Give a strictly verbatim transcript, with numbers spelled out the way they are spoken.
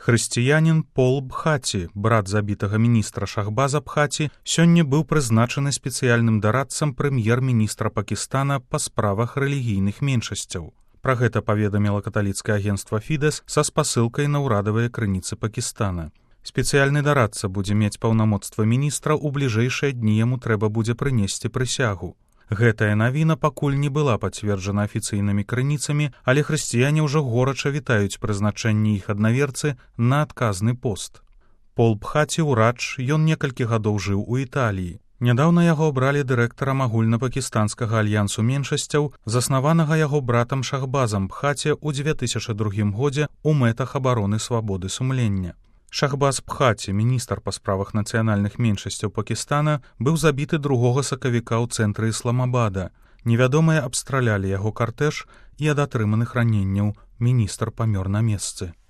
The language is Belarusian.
Хрысціянін Пол Бхаці, брат забітага міністра Шахбаза Бхаці, сёння быў прызначаны спецыяльным дарадцам прэм'ер-міністра Пакістана па справах рэлігійных меншасцяў. Пра гэта паведаміла каталіцкае агенцтва Фідэс са спасылкай на ўрадавыя крыніцы Пакістана. Спецыяльны дарадца будзе мець паўнамоцтва міністра, у бліжэйшыя дні яму трэба будзе прынесці прысягу. Гэтая навіна пакуль не была пацверджана афіцыйнымі крыніцамі, але хрысціяне ўжо горача вітаюць прызначэнне іх аднаверцы на адказны пост. Пол Бхаці ўрач, ён некалькі гадоў жыў у Італіі. Нядаўна яго абралі дырэктарам агульнапакістанскага альянсу меншасцяў, заснаванага яго братам Шахбазам Бхаці ў дзве тысячы другім годзе ў мэтах абароны свабоды сумлення. Шахбаз Бхаці, міністр па справах нацыянальных меншасцяў Пакістана, быў забіты другога сакавіка ў цэнтры Ісламабада. Невядомыя абстралялі яго картэж і ад атрыманых раненняў міністр памёр на месцы.